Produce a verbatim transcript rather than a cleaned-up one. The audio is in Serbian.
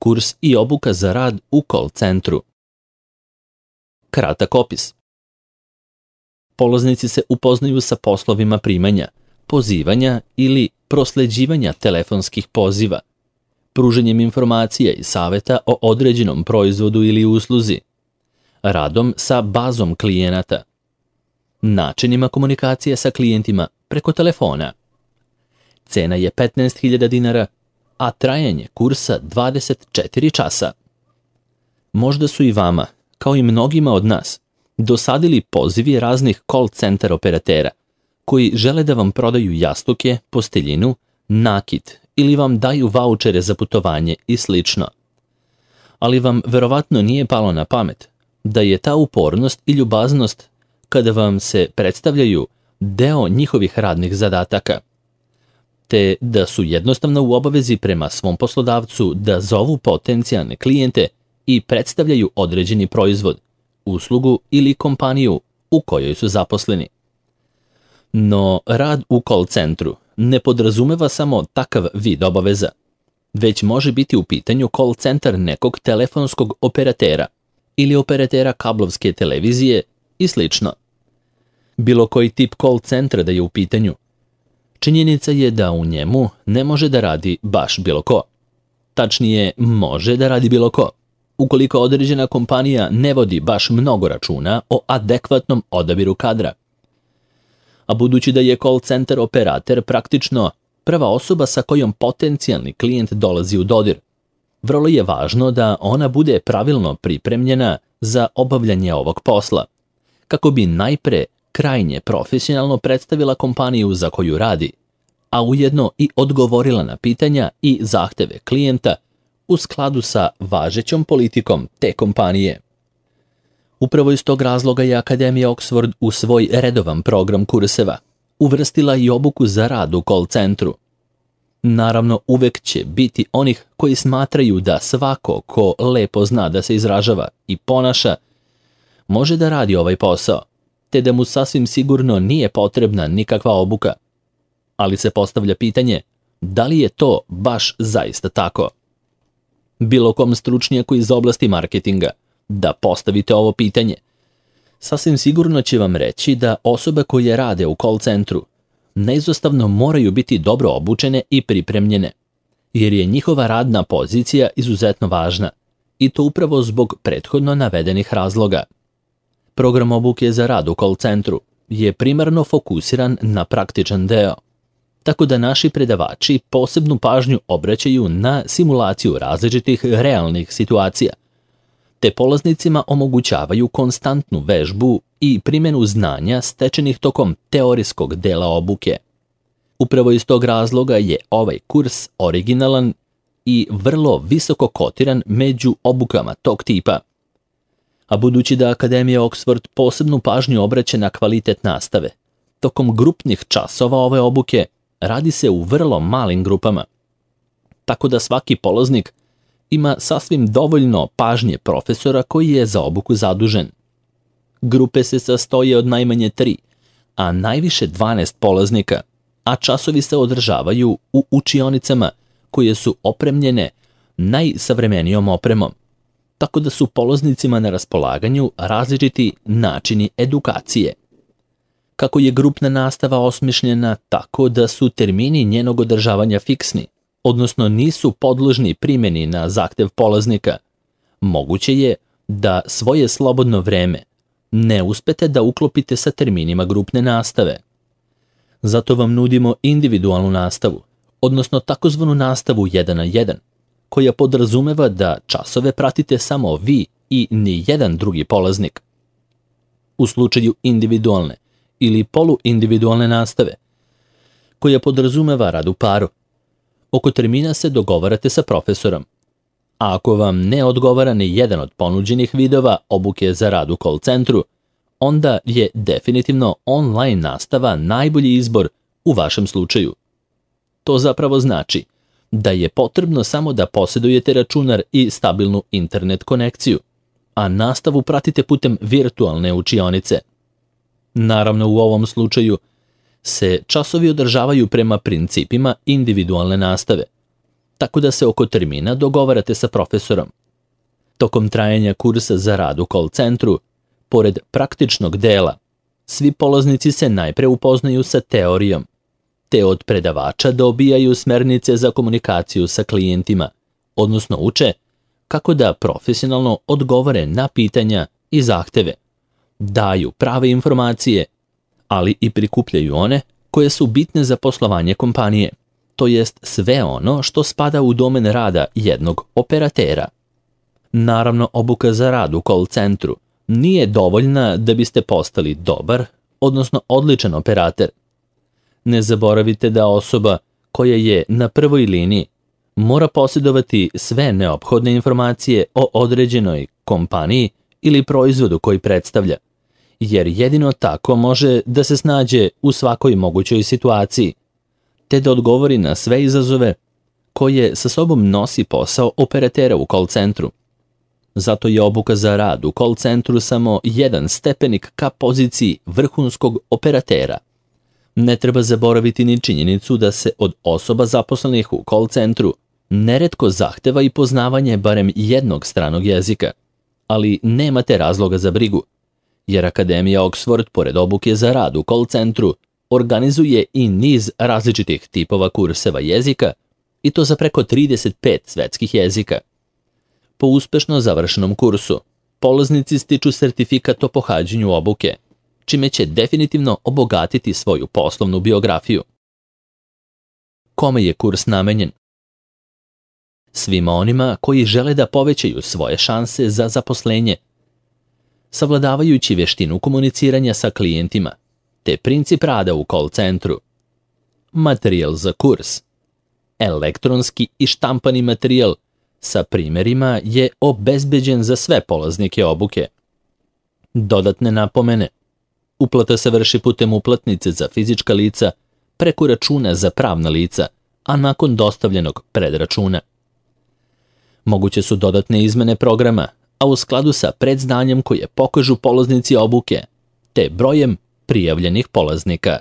kurs i obuka za rad u call centru. Kratak opis. Polaznici se upoznaju sa poslovima primanja, pozivanja ili prosleđivanja telefonskih poziva, pruženjem informacija i saveta o određenom proizvodu ili usluzi, radom sa bazom klijenata, načinima komunikacije sa klijentima preko telefona. Cena je petnaest hiljada dinara, a trajanje kursa dvadeset četiri časa. Možda su i vama, kao i mnogima od nas, dosadili pozivi raznih call center operatera koji žele da vam prodaju jastuke, posteljinu, nakit ili vam daju vaučere za putovanje i slično. Ali vam verovatno nije palo na pamet da je ta upornost i ljubaznost kada vam se predstavljaju deo njihovih radnih zadataka, te da su jednostavno u obavezi prema svom poslodavcu da zovu potencijalne klijente i predstavljaju određeni proizvod, uslugu ili kompaniju u kojoj su zaposleni. No, rad u call centru ne podrazumeva samo takav vid obaveza, već može biti u pitanju call centar nekog telefonskog operatera ili operatera kablovske televizije i slično. Bilo koji tip call centra da je u pitanju, činjenica je da u njemu ne može da radi baš bilo ko. Tačnije, može da radi bilo ko, ukoliko određena kompanija ne vodi baš mnogo računa o adekvatnom odabiru kadra. A budući da je call center operator praktično prva osoba sa kojom potencijalni klijent dolazi u dodir, vrlo je važno da ona bude pravilno pripremljena za obavljanje ovog posla, kako bi najpre krajnje profesionalno predstavila kompaniju za koju radi, a ujedno i odgovorila na pitanja i zahteve klijenta u skladu sa važećom politikom te kompanije. Upravo iz tog razloga je Akademija Oxford u svoj redovan program kurseva uvrstila i obuku za rad u call centru. Naravno, uvek će biti onih koji smatraju da svako ko lepo zna da se izražava i ponaša može da radi ovaj posao, te da mu sasvim sigurno nije potrebna nikakva obuka. Ali se postavlja pitanje, da li je to baš zaista tako? Bilo kom stručnjaku iz oblasti marketinga da postavite ovo pitanje, sasvim sigurno će vam reći da osobe koje rade u call centru neizostavno moraju biti dobro obučene i pripremljene, jer je njihova radna pozicija izuzetno važna, i to upravo zbog prethodno navedenih razloga. Program obuke za rad u call centru je primarno fokusiran na praktičan deo, tako da naši predavači posebnu pažnju obraćaju na simulaciju različitih realnih situacija, te polaznicima omogućavaju konstantnu vežbu i primjenu znanja stečenih tokom teorijskog dela obuke. Upravo iz tog razloga je ovaj kurs originalan i vrlo visoko kotiran među obukama tog tipa. A budući da Akademija Oxford posebnu pažnju obraća na kvalitet nastave, tokom grupnih časova ove obuke radi se u vrlo malim grupama, tako da svaki polaznik ima sasvim dovoljno pažnje profesora koji je za obuku zadužen. Grupe se sastoje od najmanje tri, a najviše dvanaest polaznika, a časovi se održavaju u učionicama koje su opremljene najsavremenijom opremom, tako da su polaznicima na raspolaganju različiti načini edukacije. Kako je grupna nastava osmišljena tako da su termini njenog održavanja fiksni, odnosno nisu podložni primjeni na zahtev polaznika, moguće je da svoje slobodno vreme ne uspete da uklopite sa terminima grupne nastave. Zato vam nudimo individualnu nastavu, odnosno takozvanu nastavu jedan na jedan, koja podrazumeva da časove pratite samo vi i ni jedan drugi polaznik. U slučaju individualne ili poluindividualne nastave, koja podrazumeva rad u paru, oko termina se dogovarate sa profesorom, a ako vam ne odgovara ni jedan od ponuđenih vidova obuke za rad u call centru, onda je definitivno online nastava najbolji izbor u vašem slučaju. To zapravo znači da je potrebno samo da posjedujete računar i stabilnu internet konekciju, a nastavu pratite putem virtualne učionice. Naravno, u ovom slučaju se časovi održavaju prema principima individualne nastave, tako da se oko termina dogovarate sa profesorom. Tokom trajanja kursa za rad u call centru, pored praktičnog dela, svi polaznici se najpre upoznaju sa teorijom, te od predavača dobijaju smernice za komunikaciju sa klijentima, odnosno uče kako da profesionalno odgovore na pitanja i zahteve, daju prave informacije, ali i prikupljaju one koje su bitne za poslovanje kompanije, to jest sve ono što spada u domen rada jednog operatera. Naravno, obuka za rad u call centru nije dovoljna da biste postali dobar, odnosno odličan operater. Ne zaboravite da osoba koja je na prvoj liniji mora posjedovati sve neophodne informacije o određenoj kompaniji ili proizvodu koji predstavlja, jer jedino tako može da se snađe u svakoj mogućoj situaciji, te da odgovori na sve izazove koje sa sobom nosi posao operatera u call centru. Zato je obuka za rad u call centru samo jedan stepenik ka poziciji vrhunskog operatera. Ne treba zaboraviti ni činjenicu da se od osoba zaposlenih u call centru neretko zahteva i poznavanje barem jednog stranog jezika, ali nemate razloga za brigu, jer Akademija Oxford, pored obuke za rad u call centru, organizuje i niz različitih tipova kurseva jezika, i to za preko trideset pet svetskih jezika. Po uspešno završenom kursu, polaznici stiču sertifikat o pohađanju obuke, čime će definitivno obogatiti svoju poslovnu biografiju. Kome je kurs namenjen? Svima onima koji žele da povećaju svoje šanse za zaposlenje, savladavajući veštinu komuniciranja sa klijentima, te princip rada u call centru. Materijal za kurs. Elektronski i štampani materijal sa primjerima je obezbeđen za sve polaznike obuke. Dodatne napomene. Uplata se vrši putem uplatnice za fizička lica, preko računa za pravna lica, a nakon dostavljenog predračuna. Moguće su dodatne izmene programa, a u skladu sa predznanjem koje pokažu polaznici obuke, te brojem prijavljenih polaznika.